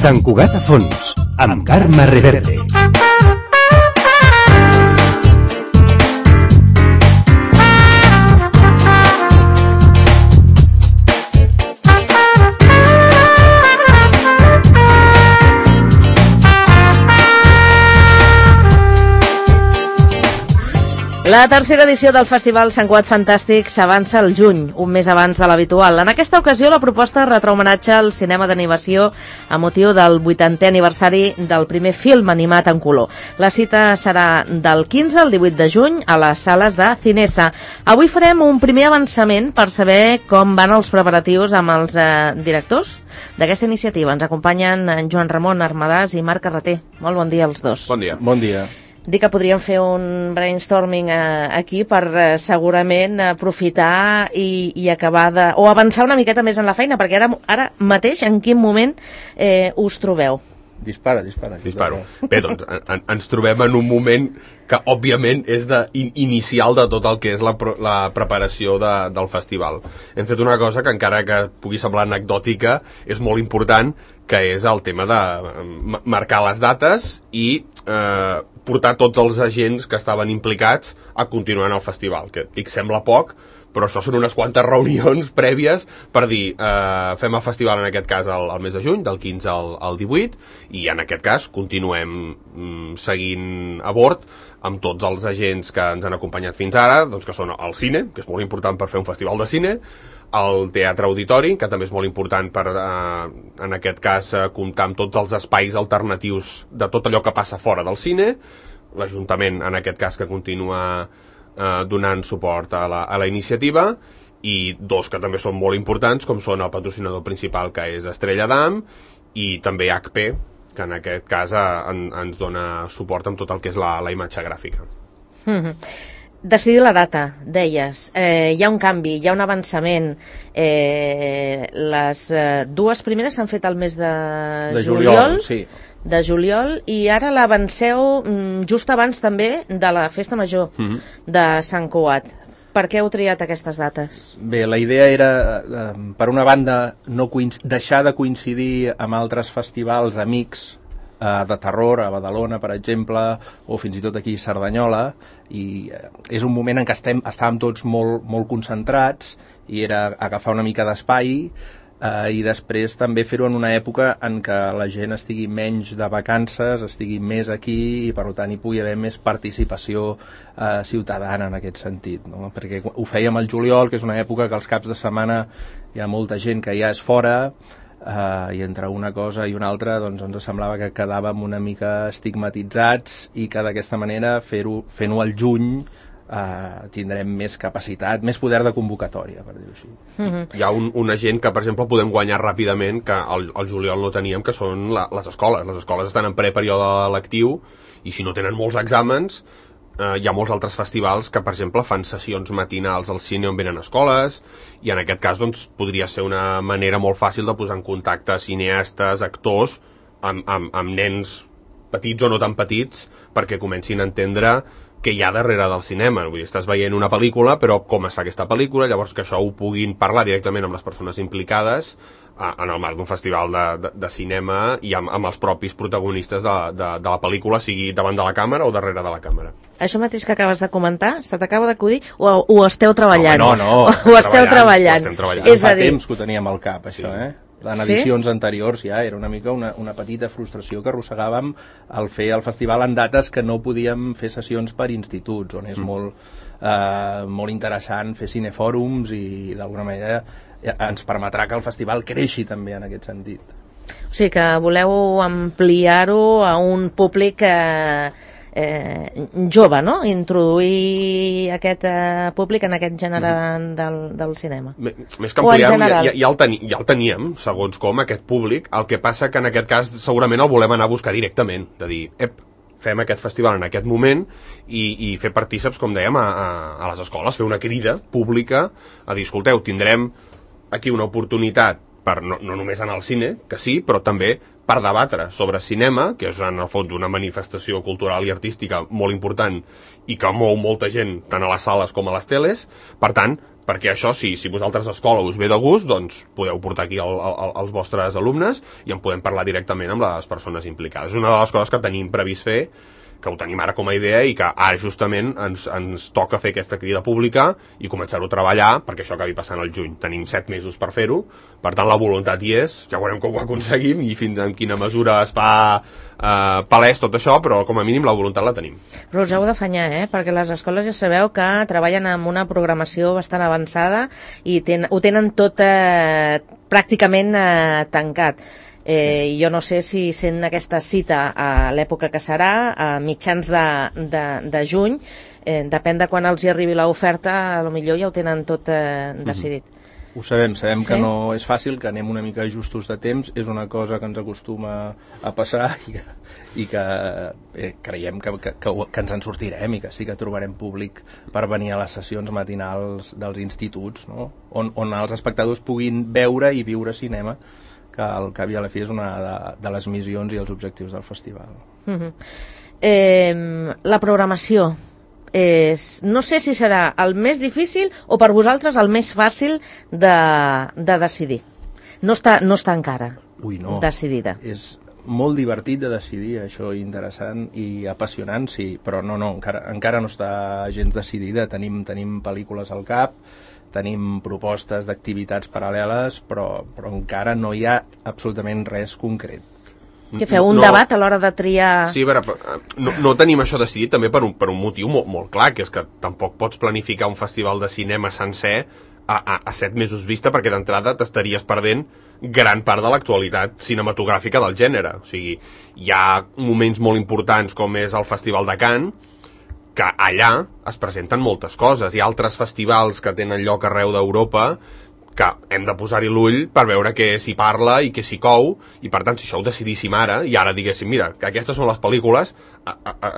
Sant Cugat a fons, amb Carme Reverte. La tercera edició del Festival Sant Cugat Fantàstic s'avança al juny, un mes abans de l'habitual. En aquesta ocasió, la proposta retrà homenatge al cinema d'animació a motiu del 80è aniversari del primer film animat en color. La cita serà del 15 al 18 de juny a les sales de Cinesa. Avui farem un primer avançament per saber com van els preparatius amb els directors d'aquesta iniciativa. Ens acompanyen Joan Ramon Armadàs i Marc Carreter. Molt bon dia als dos. Bon dia. Bon dia. Dic que podríem fer un brainstorming aquí per segurament aprofitar i acabar o avançar una miqueta més en la feina, perquè ara mateix en quin moment us trobeu? Dispara. Disparo. Bé, doncs, ens trobem en un moment que, òbviament, és inicial de tot el que és la preparació del festival. Hem fet una cosa que, encara que pugui semblar anecdòtica, és molt important, que és el tema de marcar les dates i portar tots els agents que estaven implicats a continuar en el festival, que dic sembla poc, però això són unes quantes reunions prèvies per dir, fem el festival en aquest cas al mes de juny, del 15 al 18, i en aquest cas continuem seguint a bord amb tots els agents que ens han acompanyat fins ara, doncs que són el cine, que és molt important per fer un festival de cine, el teatre auditori, que també és molt important per, en aquest cas, comptar amb tots els espais alternatius de tot allò que passa fora del cine, l'Ajuntament, en aquest cas, que continua donant suport a la iniciativa, i dos que també són molt importants, com són el patrocinador principal, que és Estrella d'Am, i també HP, que en aquest cas ens dona suport amb tot el que és la imatge gràfica. Decidir la data, deies, hi ha un canvi, hi ha un avançament. Les dues primeres s'han fet al mes de juliol, sí. De juliol, i ara l'avanceu just abans també de la Festa Major de Sant Cugat. Per què heu triat aquestes dates? Bé, la idea era, per una banda, deixar de coincidir amb altres festivals amics de terror, a Badalona, per exemple, o fins i tot aquí a Cerdanyola, i és un moment en què estàvem tots molt concentrats, i era agafar una mica d'espai, i després també fer-ho en una època en què la gent estigui menys de vacances, estigui més aquí, i per tant hi pugui haver més participació ciutadana en aquest sentit, no? Perquè ho fèiem al juliol, que és una època que els caps de setmana hi ha molta gent que ja és fora, i entre una cosa i una altra doncs ens semblava que quedàvem una mica estigmatitzats, i que d'aquesta manera fent-ho al juny tindrem més capacitat, més poder de convocatòria, per dir-ho així. Hi ha una gent que, per exemple, podem guanyar ràpidament, que al juliol no teníem, que són les escoles. Les escoles estan en preperíode lectiu, i si no tenen molts exàmens, hi ha molts altres festivals que, per exemple, fan sessions matinals al cine on venen escoles, i en aquest cas doncs, podria ser una manera molt fàcil de posar en contacte cineastes, actors, amb nens petits o no tan petits, perquè comencin a entendre què hi ha darrere del cinema. Vull dir, estàs veient una pel·lícula, però com es fa aquesta pel·lícula, llavors que això ho puguin parlar directament amb les persones implicades en el marc d'un festival de cinema i amb els propis protagonistes de la pel·lícula, sigui davant de la càmera o darrere de la càmera. Això mateix que acabes de comentar, se t'acaba d'acudir o ho esteu treballant? No, ho esteu treballant. Fa temps que ho teníem al cap, això, En edicions anteriors ja era una mica una petita frustració que arrossegàvem al fer el festival en dates que no podíem fer sessions per instituts, on és molt interessant fer cinefòrums, i d'alguna manera ens permetrà que el festival creixi també en aquest sentit. O sigui que voleu ampliar-ho a un públic jove, no? Introduir aquest públic en aquest gènere del cinema. Més que ampliar-ho, ja el teníem, segons com, aquest públic. El que passa que en aquest cas segurament el volem anar a buscar directament, de dir, fem aquest festival en aquest moment i fer partíceps, com dèiem, a les escoles, fer una crida pública a dir, escolteu, tindrem aquí una oportunitat per no només anar al cine, que sí, però també per debatre sobre cinema, que és en el fons una manifestació cultural i artística molt important i que mou molta gent tant a les sales com a les teles. Per tant, perquè això, si vosaltres a escola us ve de gust, doncs podeu portar aquí els vostres alumnes i en podem parlar directament amb les persones implicades. És una de les coses que tenim previst fer, que ho tenim ara com a idea i que ara justament ens toca fer aquesta crida pública i començar-ho a treballar perquè això acabi passant al juny. Tenim 7 mesos per fer-ho, per tant la voluntat hi és, ja veurem com ho aconseguim i fins en quina mesura es fa palès tot això, però com a mínim la voluntat la tenim. Però us heu d'afanyar, perquè les escoles ja sabeu que treballen amb una programació bastant avançada i ho tenen tot pràcticament tancat. Jo no sé si sent aquesta cita a l'època que serà, a mitjans de juny, depèn de quan els hi arribi l'oferta, potser ja ho tenen tot decidit. Ho sabem que no és fàcil, que anem una mica justos de temps, és una cosa que ens acostuma a passar i que creiem que ens en sortirem i que sí que trobarem públic per venir a les sessions matinals dels instituts, no? on els espectadors puguin veure i viure cinema, que al cap i a la fi és una de les missions i els objectius del festival. La programació no sé si serà el més difícil o per vosaltres el més fàcil de decidir. No està encara decidida. És molt divertit de decidir, això interessant i apassionant, sí, però encara no està gens decidida. Tenim pel·lícules al cap, tenim propostes d'activitats paral·leles, però encara no hi ha absolutament res concret. Què feu, un debat a l'hora de triar? Sí, no tenim això decidit també per un motiu molt clar, que és que tampoc pots planificar un festival de cinema sencer a 7 mesos vista, perquè d'entrada t'estaries perdent gran part de l'actualitat cinematogràfica del gènere. O sigui, hi ha moments molt importants com és el Festival de Cannes, que allà es presenten moltes coses. Hi ha altres festivals que tenen lloc arreu d'Europa que hem de posar-hi l'ull per veure què s'hi parla i què s'hi cou, i per tant, si això ho decidíssim ara, i ara diguéssim, mira, que aquestes són les pel·lícules,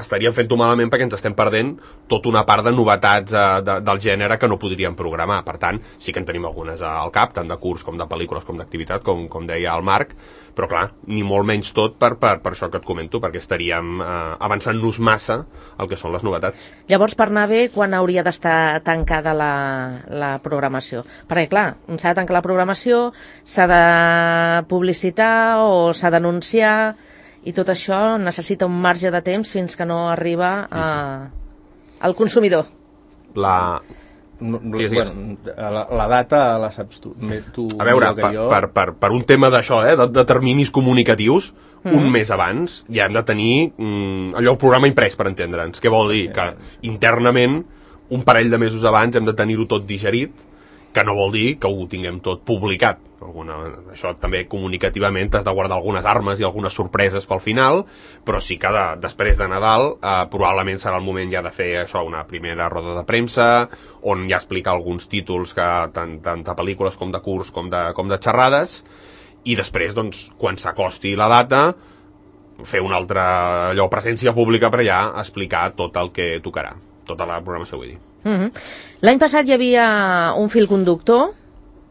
estaríem fent-ho malament perquè ens estem perdent tota una part de novetats del gènere que no podríem programar. Per tant, sí que en tenim algunes al cap, tant de curs com de pel·lícules com d'activitat, com deia el Marc, però clar, ni molt menys tot per això que et comento, perquè estaríem avançant-nos massa el que són les novetats. Llavors, per anar bé, quan hauria d'estar tancada la programació? Perquè clar, s'ha de tancar la programació, s'ha de publicitar o s'ha d'anunciar, i tot això necessita un marge de temps fins que no arriba al consumidor. La data la saps tu. A veure, per un tema d'això, de terminis comunicatius, un mes abans ja hem de tenir allò, el programa imprès, per entendre'ns. Què vol dir? Que internament, un parell de mesos abans hem de tenir-ho tot digerit, que no vol dir que ho tinguem tot publicat. Això també comunicativament has de guardar algunes armes i algunes sorpreses pel final, però sí que després de Nadal probablement serà el moment ja de fer això, una primera roda de premsa on ja explicar alguns títols tant de pel·lícules com de curs com de xerrades, i després, doncs, quan s'acosti la data, fer una altra presència pública per ja explicar tot el que tocarà, tota la programació, vull dir. L'any passat hi havia un fil conductor,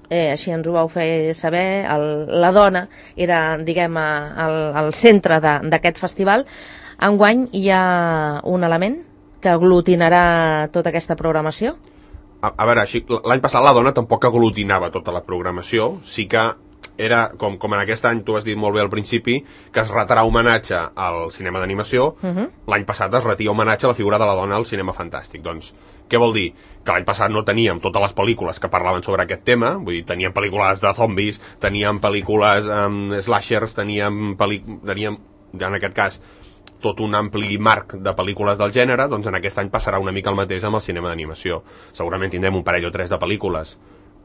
així ens ho vau fer saber, la dona era, diguem, al centre d'aquest festival. Enguany hi ha un element que aglutinarà tota aquesta programació? A veure, l'any passat la dona tampoc aglutinava tota la programació, sí que era, com en aquest any tu has dit molt bé al principi, que es retrà homenatge al cinema d'animació. L'any passat es retia homenatge a la figura de la dona al cinema fantàstic. Doncs, què vol dir? Que l'any passat no teníem totes les pel·lícules que parlaven sobre aquest tema, vull dir, teníem pel·lícules de zombis, teníem pel·lícules slashers, teníem en aquest cas tot un ampli marc de pel·lícules del gènere. Doncs en aquest any passarà una mica el mateix amb el cinema d'animació. Segurament tindrem un parell o tres de pel·lícules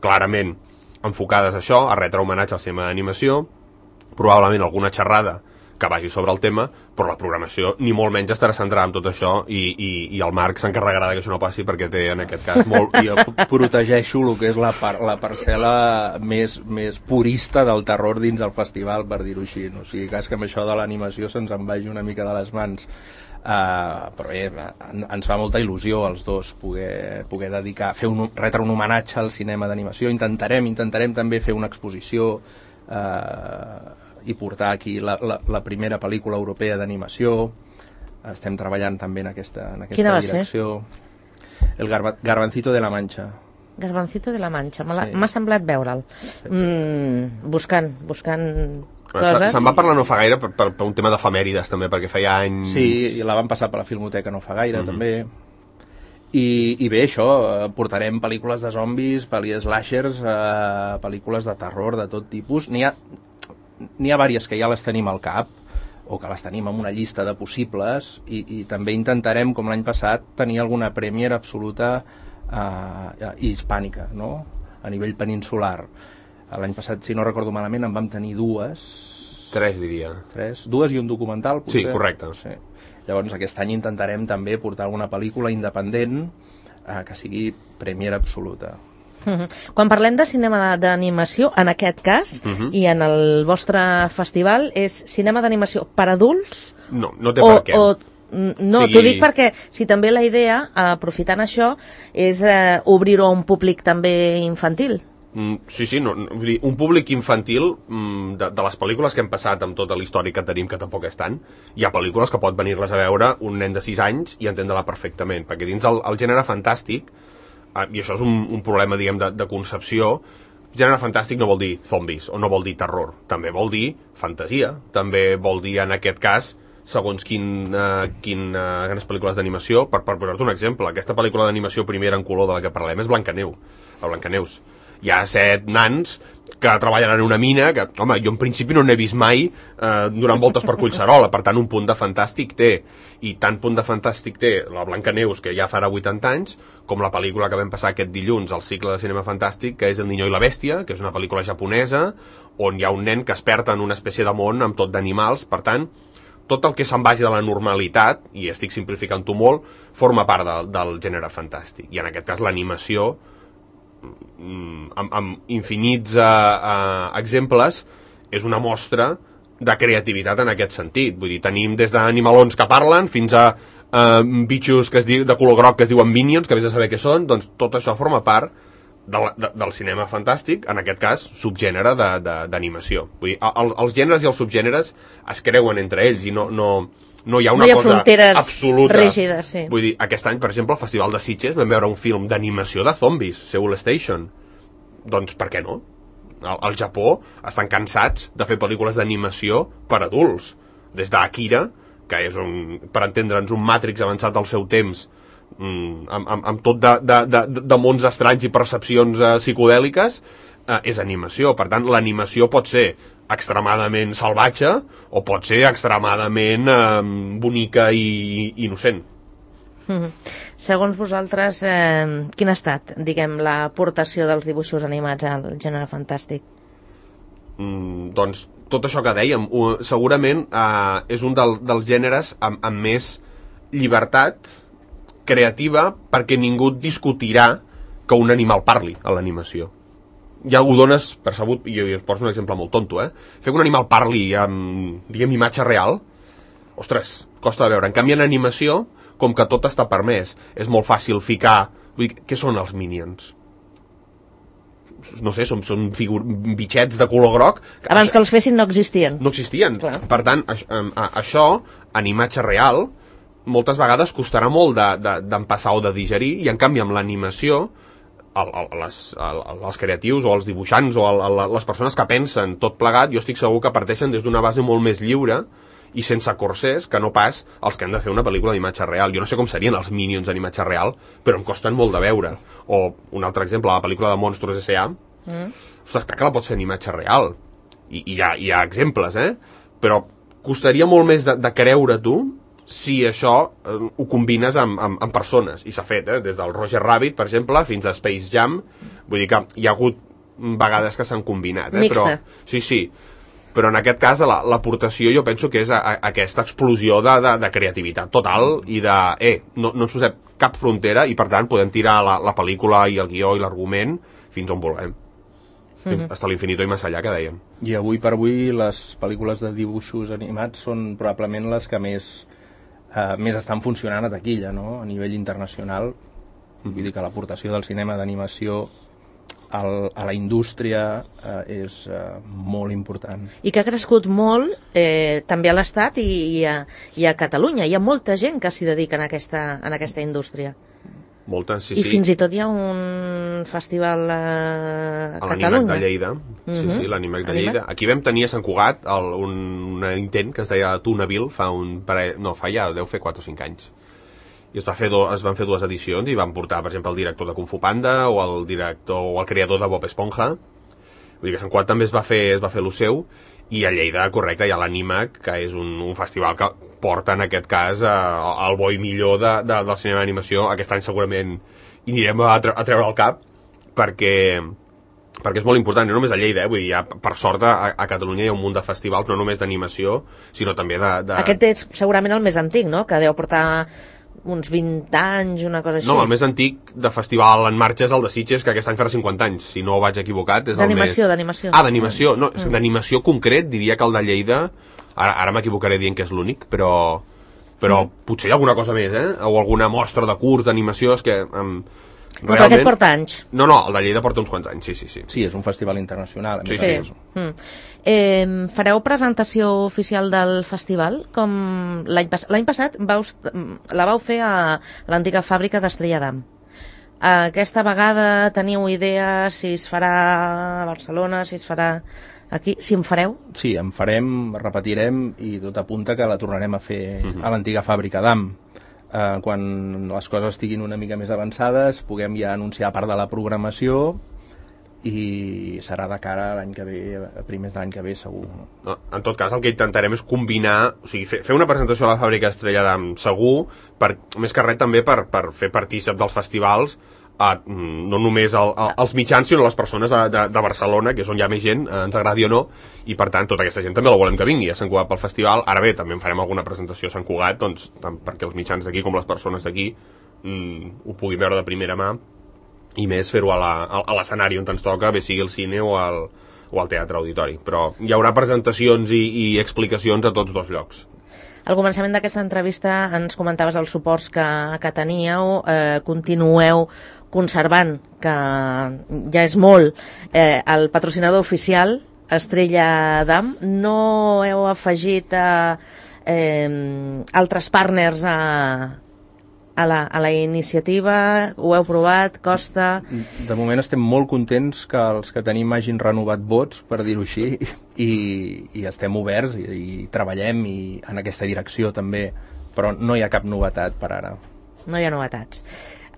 clarament enfocades a això, a retre homenatge al cinema d'animació, probablement alguna xerrada que vagi sobre el tema, però la programació ni molt menys estarà centrada en tot això, i el Marc s'encarregarà que això no passi, perquè té en aquest cas molt... Jo protegeixo el que és la parcel·la més purista del terror dins del festival, per dir-ho així. O sigui, cas que amb això de l'animació se'ns en vagi una mica de les mans. Però bé, ens fa molta il·lusió als dos poder dedicar, retre un homenatge al cinema d'animació. Intentarem també fer una exposició i portar aquí la primera pel·lícula europea d'animació. Estem treballant també en aquesta Quina direcció. El Garbancito de la Mancha. Garbancito de la Mancha, m'ha semblat veure'l. Buscant coses. Se'n va parlar no fa gaire per un tema d'efemèrides també, perquè feia anys... Sí, i la van passar per la Filmoteca no fa gaire, també. I bé, això, portarem pel·lícules de zombis, slashers, pel·lícules de terror de tot tipus. N'hi ha diverses que ja les tenim al cap, o que les tenim en una llista de possibles, i també intentarem, com l'any passat, tenir alguna premier absoluta hispànica, no? A nivell peninsular. L'any passat, si no recordo malament, en vam tenir dues. Tres, diria. Dues i un documental, potser. Sí, correcte. Sí. Llavors, aquest any intentarem també portar alguna pel·lícula independent que sigui premier absoluta. Quan parlem de cinema d'animació, en aquest cas, i en el vostre festival, és cinema d'animació per adults? No té per què. No, t'ho dic perquè si també la idea, aprofitant això, és obrir-ho a un públic també infantil. Sí, vull dir, un públic infantil de les pel·lícules que hem passat amb tota la història que tenim, que tampoc és tant, hi ha pel·lícules que pot venir-les a veure un nen de 6 anys i entendre-la perfectament, perquè dins el gènere fantàstic, i això és un problema, diguem, de concepció, gènere fantàstic no vol dir zombis o no vol dir terror, també vol dir fantasia, també vol dir, en aquest cas, segons quines pel·lícules d'animació. Per posar-te un exemple, aquesta pel·lícula d'animació primera en color de la que parlem és Blancaneus. Hi ha 7 nans que treballen en una mina que, home, jo en principi no n'he vist mai donant voltes per Collserola, per tant un punt de fantàstic té, i tant punt de fantàstic té la Blancaneus, que ja farà 80 anys, com la pel·lícula que vam passar aquest dilluns al cicle de cinema fantàstic, que és El niño i la bèstia, que és una pel·lícula japonesa on hi ha un nen que es perd en una espècie de món amb tot d'animals. Per tant, tot el que se'n vagi de la normalitat, i estic simplificant-ho molt, forma part del gènere fantàstic, i en aquest cas l'animació amb infinits exemples és una mostra de creativitat en aquest sentit. Vull dir, tenim des d'animalons que parlen fins a bitxos de color groc que es diuen Minions, que vés a saber què són. Doncs tot això forma part del cinema fantàstic, en aquest cas subgènere d'animació. Vull dir, els gèneres i els subgèneres es creuen entre ells i no hi ha una cosa absoluta. Rígides, sí. Vull dir, aquest any, per exemple, al Festival de Sitges vam veure un film d'animació de zombis, Seoul Station. Doncs per què no? Al Japó estan cansats de fer pel·lícules d'animació per adults. Des d'Akira, que és, per entendre'ns, un Matrix avançat al seu temps, amb tot de mons estranys i percepcions psicodèliques, és animació. Per tant, l'animació pot ser extremadament salvatge o pot ser extremadament bonica i innocent. Segons vosaltres, quina ha estat, diguem, l'aportació dels dibuixos animats al gènere fantàstic? Doncs tot això que dèiem, segurament és un dels gèneres amb més llibertat creativa, perquè ningú discutirà que un animal parli a l'animació. Ja ho dones per sabut, i us poso un exemple molt tonto, fer que un animal parli amb, diguem, imatge real, ostres, costa de veure. En canvi, en animació, com que tot està permès, és molt fàcil ficar... Vull dir, què són els Minions? No sé, són bitxets de color groc... Abans que els fessin no existien. No existien. Clar. Per tant, això, en imatge real, moltes vegades costarà molt d'empassar o de digerir, i en canvi amb l'animació els creatius o els dibuixants o les persones que pensen tot plegat, jo estic segur que parteixen des d'una base molt més lliure i sense corsers que no pas els que han de fer una pel·lícula d'imatge real. Jo no sé com serien els Minions en imatge real, però em costen molt de veure. O un altre exemple, la pel·lícula de Monstros S.A. Ostres, clar que la pots fer en imatge real, i hi ha exemples, però costaria molt més de creure tu si això ho combines amb persones, i s'ha fet, des del Roger Rabbit, per exemple, fins a Space Jam. Vull dir que hi ha hagut vegades que s'han combinat, Mixta. Però, sí, però en aquest cas l'aportació jo penso que és aquesta explosió de creativitat total i no ens posem cap frontera, i per tant podem tirar la pel·lícula i el guió i l'argument fins on vulguem. Hasta l'infinito i més allà, que dèiem. I avui per avui les pel·lícules de dibuixos animats són probablement les que més estan funcionant a taquilla, no? A nivell internacional. Vull dir que l'aportació del cinema d'animació a la indústria és molt important. I que ha crescut molt també a l'Estat i a Catalunya. Hi ha molta gent que s'hi dedica en aquesta indústria. Moltes, sí, I sí. fins i tot hi ha un festival a Catalunya. L'Animac de Lleida. Sí, l'Animac de Lleida. Aquí vam tenir a Sant Cugat un intent que es deia Tunaville fa ja deu fer 4 o 5 anys. I es van fer 2 edicions i van portar, per exemple, el director de Kung Fu Panda o el creador de Bob Esponja. Vull dir que a Sant Cugat també es va fer lo seu, i a Lleida, correcte, hi ha l'Animac, que és un festival que porta, en aquest cas, el bo i millor del cinema d'animació. Aquest any segurament hi anirem a treure el cap, perquè és molt important, no només a Lleida, vull dir, per sort a Catalunya hi ha un munt de festivals, no només d'animació, sinó també de... Aquest és segurament el més antic, no?, que deu portar uns 20 anys, una cosa així. No, el més antic de festival en marxa és el de Sitges, que aquest any farà 50 anys, si no vaig equivocat. D'animació. D'animació. No, d'animació concret, diria que el de Lleida, ara m'equivocaré dient que és l'únic, però potser hi ha alguna cosa més, o alguna mostra de curt d'animació, és que... Però aquest porta anys. No, el de Lleida porta uns quants anys, sí. Sí, és un festival internacional. Sí. Fareu presentació oficial del festival? Com l'any passat la vau fer a l'antiga fàbrica d'Estrella d'Am. Aquesta vegada teniu idea si es farà a Barcelona, si es farà aquí, si en fareu? Sí, en farem, repetirem, i tot apunta que la tornarem a fer a l'antiga fàbrica d'Am. Quan les coses estiguin una mica més avançades puguem ja anunciar part de la programació, i serà de cara a l'any que ve, a primers de l'any que ve, segur. En tot cas, el que intentarem és combinar, o sigui, fer una presentació a la fàbrica Estrella d'Am segur, més que res també per fer partícip dels festivals, no només els mitjans, sinó les persones de Barcelona, que és on hi ha més gent, ens agradi o no, i per tant tota aquesta gent també la volem que vingui a Sant Cugat pel festival. Ara bé, també en farem alguna presentació a Sant Cugat, doncs, tant perquè els mitjans d'aquí com les persones d'aquí ho puguin veure de primera mà, i més fer-ho a l'escenari on ens toca, bé sigui el cine o al teatre auditori. Però hi haurà presentacions i explicacions a tots dos llocs. Al començament d'aquesta entrevista ens comentaves els suports que teníeu, continueu conservant, que ja és molt, el patrocinador oficial, Estrella d'Am. No heu afegit altres partners a la iniciativa? Ho heu provat? Costa? De moment estem molt contents que els que tenim hagin renovat vots, per dir-ho així, i estem oberts i treballem en aquesta direcció també, però no hi ha cap novetat per ara. No hi ha novetats.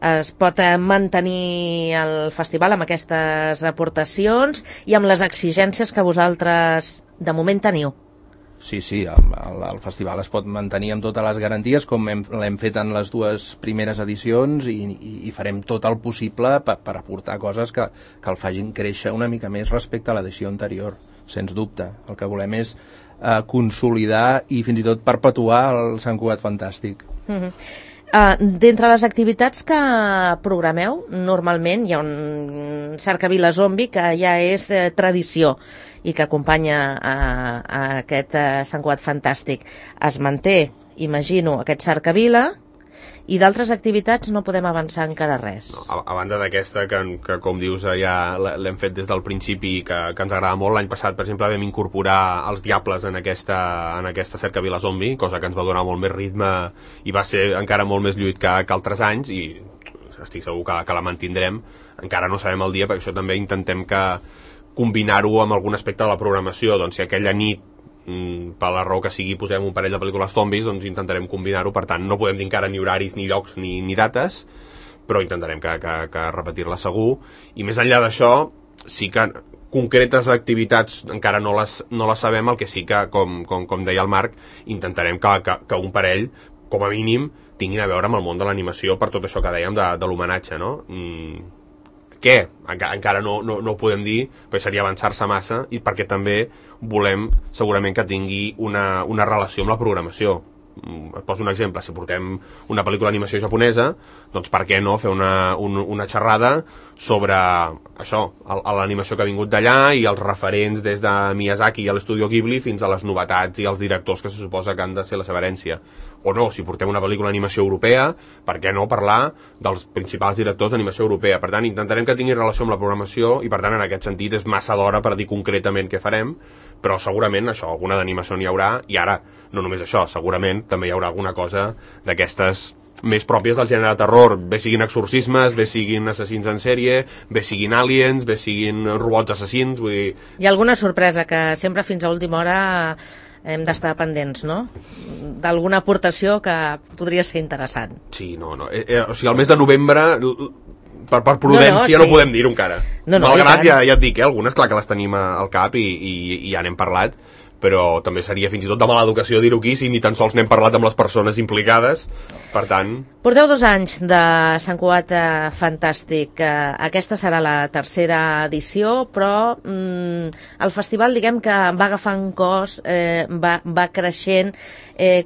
Es pot mantenir el festival amb aquestes aportacions i amb les exigències que vosaltres de moment teniu? Sí, el festival es pot mantenir amb totes les garanties, com l'hem fet en les 2 primeres edicions, i farem tot el possible per aportar coses que el facin créixer una mica més respecte a l'edició anterior, sens dubte. El que volem és consolidar i fins i tot perpetuar el Sant Cugat Fantàstic. D'entre les activitats que programeu, normalment hi ha un cercavila zombi que ja és tradició i que acompanya a aquest Sant Cugat Fantàstic. Es manté, imagino, aquest cercavila, i d'altres activitats no podem avançar encara res. No, a banda d'aquesta, que com dius ja l'hem fet des del principi i que ens agrada molt. L'any passat, per exemple, vam incorporar els Diables en aquesta cercavila zombi, cosa que ens va donar molt més ritme i va ser encara molt més lluit que altres anys, i estic segur que la mantindrem. Encara no sabem el dia, perquè això també intentem combinar-ho amb algun aspecte de la programació. Doncs si aquella nit, per la raó que sigui, posem un parell de pel·lícules zombis, doncs intentarem combinar-ho. Per tant, no podem dir encara ni horaris, ni llocs, ni dates, però intentarem que repetir-la segur. I més enllà d'això, sí que concretes activitats encara no les sabem. El que sí que, com deia el Marc, intentarem que un parell, com a mínim, tinguin a veure amb el món de l'animació, per tot això que dèiem de l'homenatge, no? Què? Encara no ho podem dir, perquè seria avançar-se massa, i perquè també volem segurament que tingui una relació amb la programació. Et poso un exemple: si portem una pel·lícula d'animació japonesa, doncs per què no fer una xerrada sobre això, l'animació que ha vingut d'allà i els referents des de Miyazaki i l'Estudio Ghibli fins a les novetats i els directors que se suposa que han de ser la seva herència. O no, si portem una pel·lícula d'animació europea, per què no parlar dels principals directors d'animació europea? Per tant, intentarem que tingui relació amb la programació, i per tant, en aquest sentit, és massa d'hora per dir concretament què farem, però segurament això, alguna d'animació n'hi haurà. I ara, no només això, segurament també hi haurà alguna cosa d'aquestes més pròpies del gènere de terror, bé siguin exorcismes, bé siguin assassins en sèrie, bé siguin aliens, bé siguin robots assassins, vull dir... Hi ha alguna sorpresa que sempre fins a última hora hem d'estar pendents, no? D'alguna aportació que podria ser interessant. Sí, no. O sigui, el mes de novembre, per prudència, no podem dir-ho encara. Malgrat, ja et dic, algunes, clar que les tenim al cap i ja n'hem parlat, però també seria fins i tot de mala educació dir-ho aquí si ni tan sols n'hem parlat amb les persones implicades, per tant... Porteu 2 anys de Sant Cugat Fantàstic. Aquesta serà la tercera edició, però el festival, diguem que va agafant cos, va creixent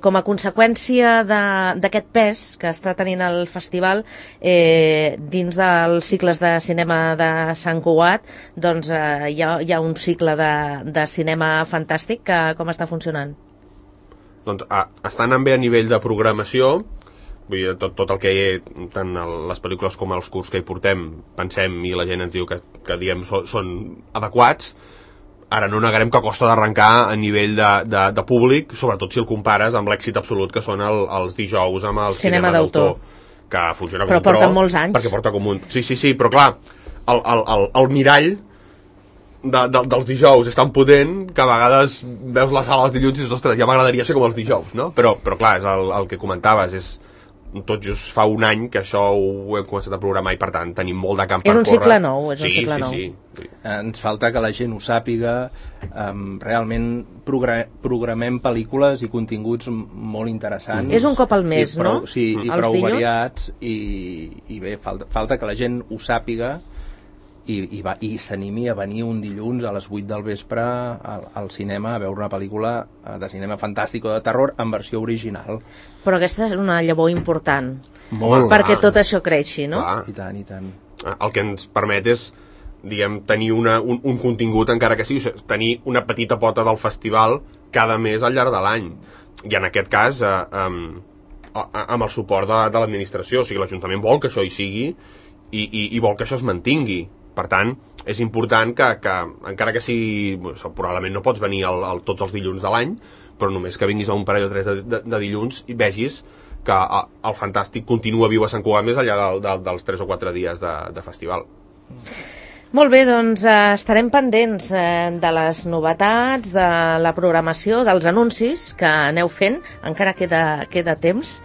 com a conseqüència d'aquest pes que està tenint el festival dins dels cicles de cinema de Sant Cugat. Doncs hi ha un cicle de cinema fantàstic que com està funcionant? Doncs està anant bé a nivell de programació. Vull dir, tot el que tant les pel·lícules com els curts que hi portem pensem i la gent ens diu que diem són adequats. Ara no negarem que costa d'arrencar a nivell de públic, sobretot si el compares amb l'èxit absolut que són els dijous amb el cinema d'autor, que funciona com un tro. Però porten molts anys. Perquè porta com un... Sí, però clar, el mirall dels dijous és tan potent que a vegades veus la sala els dilluns i dius, ostres, ja m'agradaria ser com els dijous, no? Però clar, és el que comentaves, és tot just fa un any que això ho hem començat a programar i per tant tenim molt de camp per córrer. És un cicle nou, és un cicle nou. Sí. Ens falta que la gent ho sàpiga, realment programem pel·lícules i continguts molt interessants. És un cop al mes, no? Sí, i prou variats i bé, falta que la gent ho sàpiga i s'animi a venir un dilluns a les 8 del vespre al cinema a veure una pel·lícula de cinema fantàstic o de terror en versió original. Però aquesta és una llavor important. Molt. Perquè tot això creixi, no? Clar. I tant. El que ens permet és, diguem, tenir un contingut, encara que sigui, tenir una petita pota del festival cada mes al llarg de l'any. I en aquest cas, amb el suport de l'administració, o sigui, l'Ajuntament vol que això hi sigui i vol que això es mantingui. Per tant, és important que encara que sigui... Probablement no pots venir tots els dilluns de l'any, però només que vinguis a un parell o 3 de dilluns i vegis que el Fantàstic continua viu a Sant Cugat més enllà dels 3 o 4 dies de festival. Molt bé, doncs estarem pendents de les novetats, de la programació, dels anuncis que aneu fent. Encara queda temps.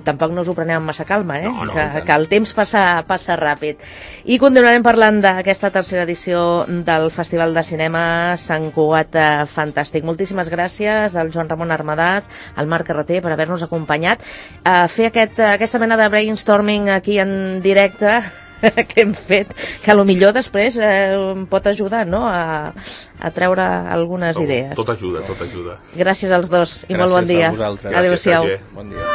Tampoc no us ho preneu amb massa calma, No, que el temps passa ràpid. I continuarem parlant d'aquesta tercera edició del Festival de Cinema Sant Cugat Fantàstic. Moltíssimes gràcies al Joan Ramon Armadàs, al Marc Carreter, per haver-nos acompanyat a fer aquesta mena de brainstorming aquí en directe que hem fet, que potser després pot ajudar, no?, a treure algunes idees. Tot ajuda. Gràcies als dos i molt bon dia. Gràcies a vosaltres. Adéu-siau. Gràcies, bon dia.